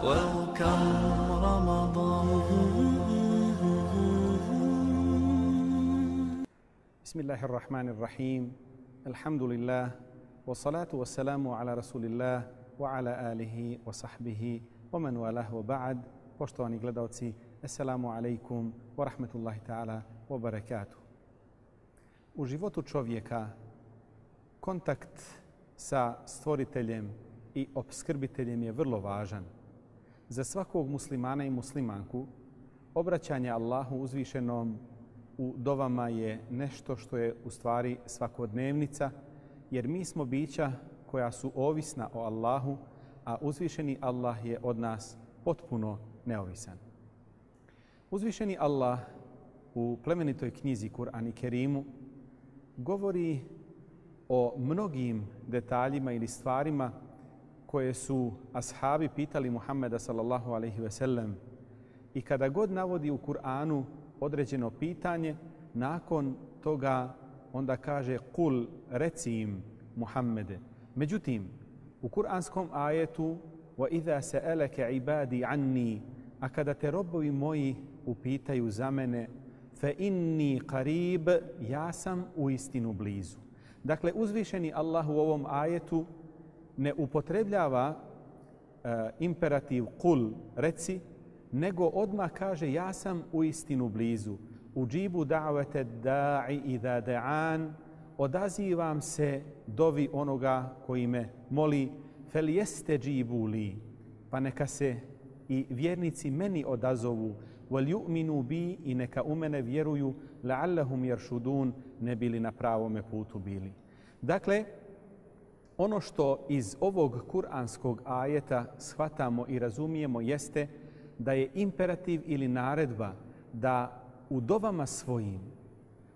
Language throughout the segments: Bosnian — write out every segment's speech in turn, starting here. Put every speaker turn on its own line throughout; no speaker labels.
Welcome Ramadan.
Bismillahirrahmanirrahim. Alhamdulillah. Wassalatu wassalamu ala rasulillah wa ala alihi wa sahbihi wa man walah wa ba'd. Poštovani gledalci, assalamu alaikum wa rahmatullahi ta'ala wa barakatuh. U životu čovjeka kontakt sa stvoriteljem i opskrbiteljem je vrlo važan. Za svakog muslimana i muslimanku obraćanje Allahu uzvišenom u dovama je nešto što je u stvari svakodnevnica, jer mi smo bića koja su ovisna o Allahu, a uzvišeni Allah je od nas potpuno neovisan. Uzvišeni Allah u plemenitoj knjizi Kur'an i Kerimu govori o mnogim detaljima ili stvarima koje su ashabi pitali Muhammeda sallallahu alejhi ve sellem, i kada god navodi u Kur'anu određeno pitanje, nakon toga onda kaže kul, reci im Muhammede. Međutim, u kuranskom ajetu wa idha sa'alaka ibadi anni, a kada te robovi moji upitaju za mene, fa inni qarib, ja sam uistinu blizu. Dakle, uzvišeni Allah u ovom ajetu ne upotrebljava imperativ kul, reci, nego odmah kaže ja sam uistinu blizu. Uđibu da'vete da'i idha da'an, odazivam se dovi onoga koji me moli, fel jeste džibu li, pa neka se i vjernici meni odazovu, wal yu'minu bi, i neka u mene vjeruju, la'allahum yarshudun, ne bili na pravome putu bili. Dakle, ono što iz ovog kuranskog ajeta shvatamo i razumijemo jeste da je imperativ ili naredba da u dovama svojim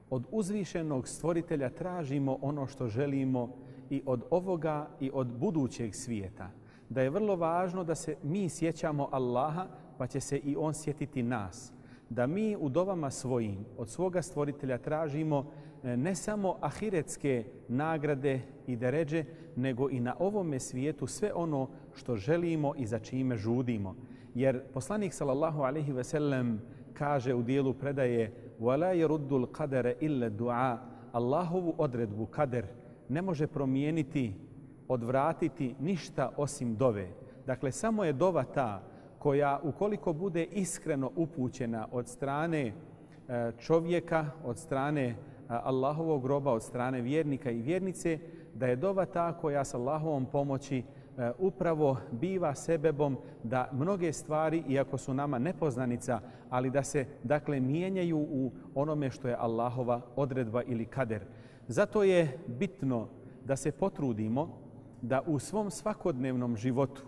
od uzvišenog stvoritelja tražimo ono što želimo i od ovoga i od budućeg svijeta. Da je vrlo važno da se mi sjećamo Allaha, pa će se i On sjetiti nas. Da mi u dovama svojim od svoga stvoritelja tražimo ne samo ahiretske nagrade i deređe, nego i na ovome svijetu sve ono što želimo i za čime žudimo. Jer poslanik sallallahu alejhi ve sellem kaže u dijelu predaje وَلَا يَرُدُّ الْقَدَرَ إِلَّا الدُّعَا, Allahovu odredbu kader ne može promijeniti, odvratiti ništa osim dove. Dakle, samo je dova ta koja, ukoliko bude iskreno upućena od strane čovjeka, od strane Allahovog roba, od strane vjernika i vjernice, da je dova ta koja s Allahovom pomoći upravo biva sebebom da mnoge stvari, iako su nama nepoznanica, ali da se dakle mijenjaju u onome što je Allahova odredba ili kader. Zato je bitno da se potrudimo da u svom svakodnevnom životu,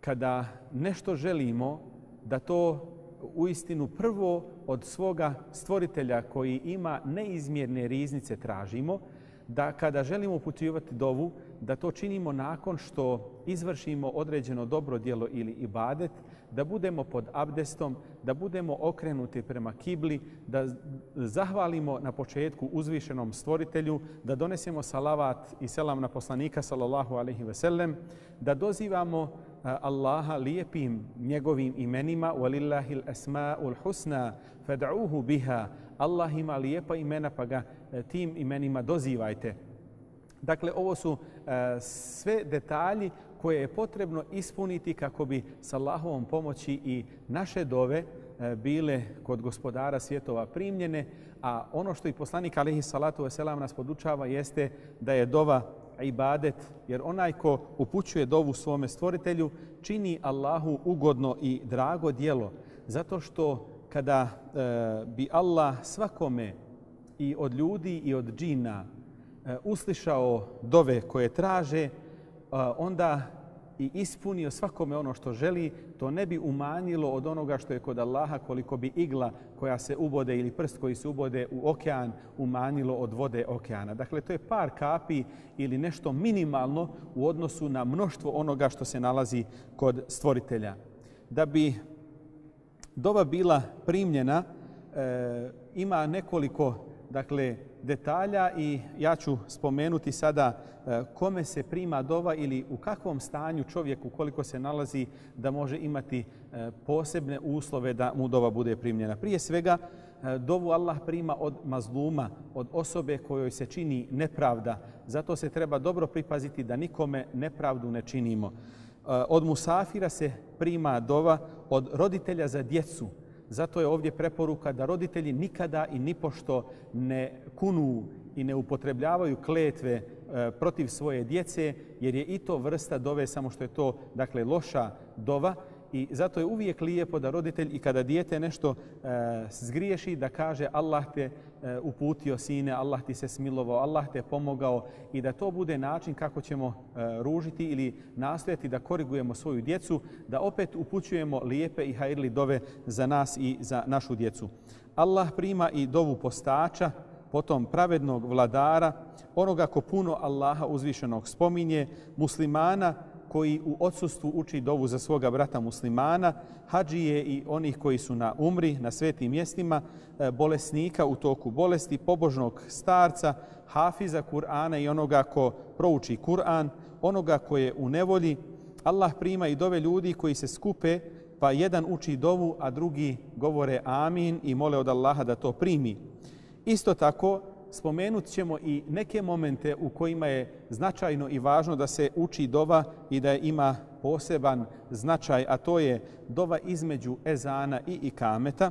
kada nešto želimo, da to uistinu prvo od svoga stvoritelja koji ima neizmjerne riznice tražimo, da kada želimo upućivati dovu, da to činimo nakon što izvršimo određeno dobro djelo ili ibadet, da budemo pod abdestom, da budemo okrenuti prema kibli, da zahvalimo na početku uzvišenom stvoritelju, da donesemo salavat i selam na poslanika sallallahu alejhi ve sellem, da dozivamo Allaha lijepim njegovim imenima, walillahil asmaul husna fad'uhu biha, Allah ima lijepa imena pa ga tim imenima dozivajte. Dakle, ovo su sve detalji koje je potrebno ispuniti kako bi s Allahovom pomoći i naše dove bile kod gospodara svjetova primljene, a ono što i poslanik alejhi salatu vesselam nas podučava jeste da je dova ibadet, jer onaj ko upućuje dovu svome stvoritelju čini Allahu ugodno i drago djelo, zato što kada bi Allah svakome i od ljudi i od džina uslišao dove koje traže, onda i ispunio svakome ono što želi, to ne bi umanjilo od onoga što je kod Allaha, koliko bi igla koja se ubode ili prst koji se ubode u okean umanjilo od vode okeana. Dakle, to je par kapi ili nešto minimalno u odnosu na mnoštvo onoga što se nalazi kod stvoritelja. Da bi dova bila primljena, ima nekoliko detalja i ja ću spomenuti sada kome se prima dova ili u kakvom stanju čovjek ukoliko se nalazi da može imati posebne uslove da mu dova bude primljena. Prije svega, dovu Allah prima od mazluma, od osobe kojoj se čini nepravda. Zato se treba dobro pripaziti da nikome nepravdu ne činimo. Od musafira se prima dova, od roditelja za djecu. Zato je ovdje preporuka da roditelji nikada i nipošto ne kunu i ne upotrebljavaju kletve protiv svoje djece, jer je i to vrsta dove, samo što je to dakle loša dova. I zato je uvijek lijepo da roditelj i kada dijete nešto zgriješi da kaže Allah te uputio sine, Allah ti se smilovao, Allah te pomogao i da to bude način kako ćemo ružiti ili nastojati da korigujemo svoju djecu, da opet upućujemo lijepe i hajrli dove za nas i za našu djecu. Allah prima i dovu postača, potom pravednog vladara, onoga ko puno Allaha uzvišenog spominje, muslimana koji u odsustvu uči dovu za svoga brata muslimana, hadžije i onih koji su na umri, na svetim mjestima, bolesnika u toku bolesti, pobožnog starca, hafiza Kur'ana i onoga ko prouči Kur'an, onoga ko je u nevolji. Allah prima i dove ljudi koji se skupe, pa jedan uči dovu, a drugi govore amin i mole od Allaha da to primi. Isto tako, spomenut ćemo i neke momente u kojima je značajno i važno da se uči dova i da ima poseban značaj, a to je dova između ezana i ikameta.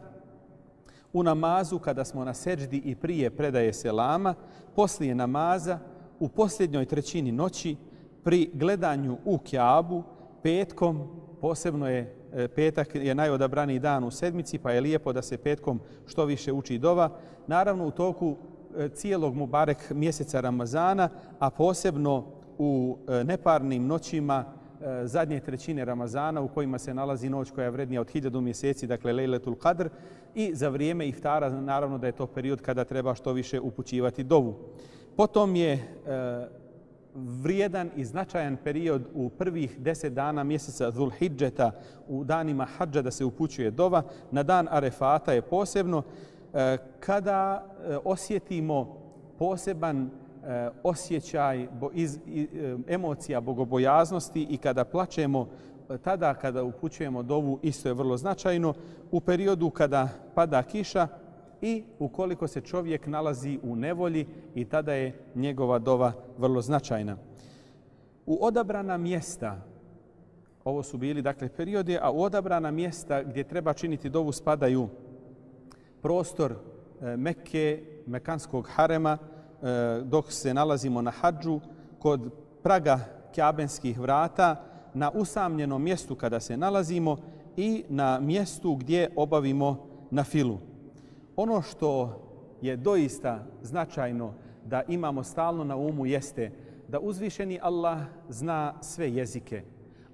U namazu kada smo na seđdi i prije predaje selama, poslije namaza, u posljednjoj trećini noći, pri gledanju u Kjabu, petkom, posebno je petak je najodabraniji dan u sedmici, pa je lijepo da se petkom što više uči dova. Naravno u toku cijelog Mubarek mjeseca Ramazana, a posebno u neparnim noćima zadnje trećine Ramazana u kojima se nalazi noć koja je vrednija od 1000 mjeseci, dakle Lejletul Kadr, i za vrijeme iftara naravno da je to period kada treba što više upućivati dovu. Potom je vrijedan i značajan period u prvih 10 dana mjeseca Zulhidžeta, u danima hadža da se upućuje dova. Na dan Arefata je posebno kada osjetimo poseban osjećaj emocija bogobojaznosti i kada plačemo, tada kada upućujemo dovu isto je vrlo značajno. U periodu kada pada kiša i ukoliko se čovjek nalazi u nevolji i tada je njegova dova vrlo značajna. U odabrana mjesta, ovo su bili dakle periodi, a u odabrana mjesta gdje treba činiti dovu spadaju prostor Mekke, Mekanskog harema, dok se nalazimo na hadžu, kod praga Kjabenskih vrata, na usamljenom mjestu kada se nalazimo i na mjestu gdje obavimo nafilu. Ono što je doista značajno da imamo stalno na umu jeste da uzvišeni Allah zna sve jezike,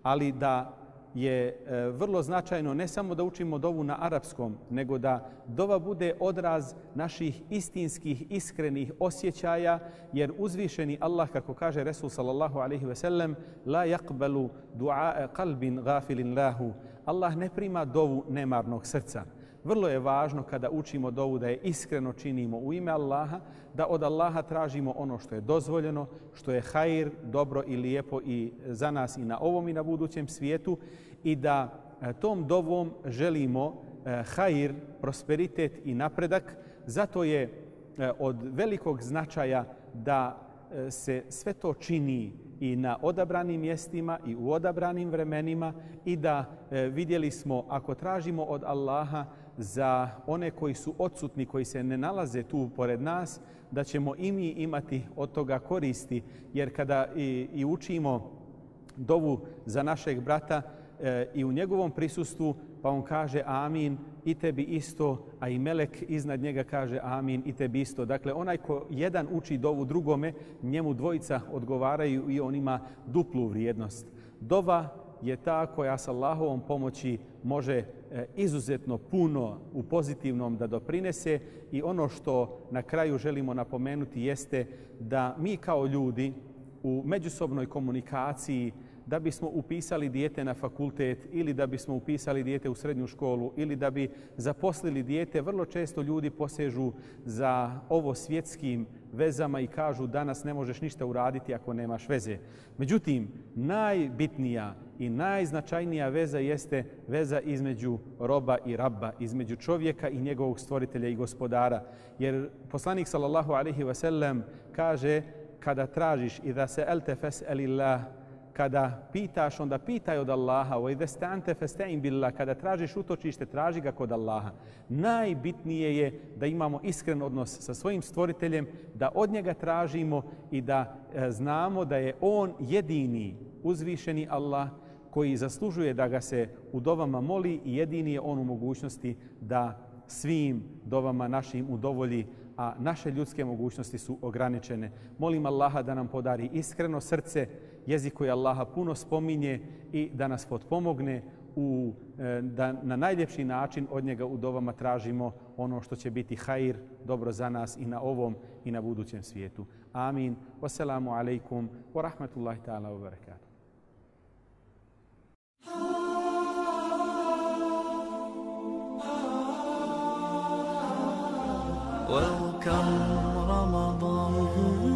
ali da je vrlo značajno ne samo da učimo dovu na arapskom, nego da dova bude odraz naših istinskih, iskrenih osjećaja, jer uzvišeni Allah, kako kaže Resul sallallahu alaihi ve sellem, la yaqbalu du'a qalbin gafilin lahu. Allah ne prima dovu nemarnog srca. Vrlo je važno kada učimo dovu da je iskreno činimo u ime Allaha, da od Allaha tražimo ono što je dozvoljeno, što je hajr, dobro i lijepo i za nas i na ovom i na budućem svijetu i da tom dovom želimo hajr, prosperitet i napredak. Zato je od velikog značaja da se sve to čini i na odabranim mjestima i u odabranim vremenima i da vidjeli smo ako tražimo od Allaha za one koji su odsutni, koji se ne nalaze tu pored nas, da ćemo i mi imati od toga koristi, jer kada i učimo dovu za našeg brata i u njegovom prisustvu, pa on kaže amin i tebi isto, a i melek iznad njega kaže amin i tebi isto. Dakle, onaj ko jedan uči dovu drugome, njemu dvojica odgovaraju i on ima duplu vrijednost. Dova je ta koja s Allahovom pomoći može izuzetno puno u pozitivnom da doprinese i ono što na kraju želimo napomenuti jeste da mi kao ljudi u međusobnoj komunikaciji da bismo upisali dijete na fakultet ili da bismo upisali dijete u srednju školu ili da bi zaposlili dijete, vrlo često ljudi posežu za ovo svjetskim vezama i kažu danas ne možeš ništa uraditi ako nemaš veze. Međutim, najbitnija i najznačajnija veza jeste veza između roba i rabba, između čovjeka i njegovog stvoritelja i gospodara. Jer poslanik sallallahu alejhi ve sellem kaže kada tražiš idha sa'alta fas'alillah, kada pitaš onda pitaj od Allaha, wa idha sta'anta fasta'in billah, kada tražiš utočište traži ga kod Allaha. Najbitnije je da imamo iskren odnos sa svojim stvoriteljem, da od njega tražimo i da znamo da je on jedini uzvišeni Allah koji zaslužuje da ga se u dovama moli i jedini je on u mogućnosti da svim dovama našim udovolji, a naše ljudske mogućnosti su ograničene. Molim Allaha da nam podari iskreno srce, jezik koji Allaha puno spominje i da nas potpomogne da na najljepši način od njega u dovama tražimo ono što će biti hajr, dobro za nas i na ovom i na budućem svijetu. Amin. Wassalamu alaikum wa rahmatullahi ta'ala wa barakatuh.
Welcome Ramadan.